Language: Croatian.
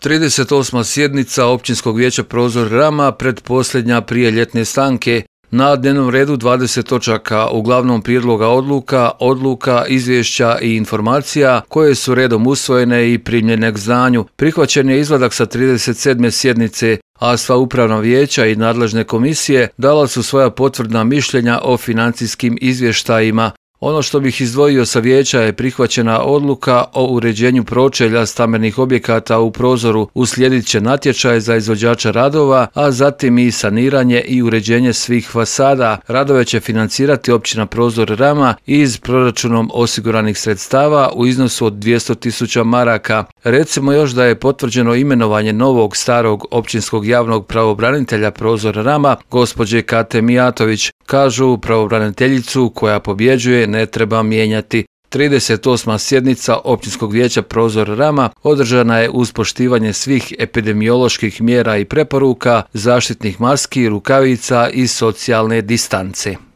38. sjednica Općinskog vijeća Prozor Rama pretposljednja prije ljetne stanke. Na dnevnom redu 20 točaka, uglavnom prijedloga odluka, izvješća i informacija koje su redom usvojene i primljene k znanju. Prihvaćen je izvadak sa 37. sjednice, a sva upravna vijeća i nadležne komisije dala su svoja potvrdna mišljenja o financijskim izvještajima. Ono što bih izdvojio sa vijeća je prihvaćena odluka o uređenju pročelja stambenih objekata u Prozoru. Uslijedit će natječaj za izvođača radova, a zatim i saniranje i uređenje svih fasada. Radove će financirati općina Prozor Rama iz proračunom osiguranih sredstava u iznosu od 200.000 maraka. Recimo još da je potvrđeno imenovanje novog starog općinskog javnog pravobranitelja Prozor Rama, gospođe Kate Mijatović. Kažu, pravobraniteljicu koja pobjeđuje ne treba mijenjati. 38. sjednica Općinskog vijeća Prozor Rama održana je uz poštivanje svih epidemioloških mjera i preporuka, zaštitnih maski, rukavica i socijalne distance.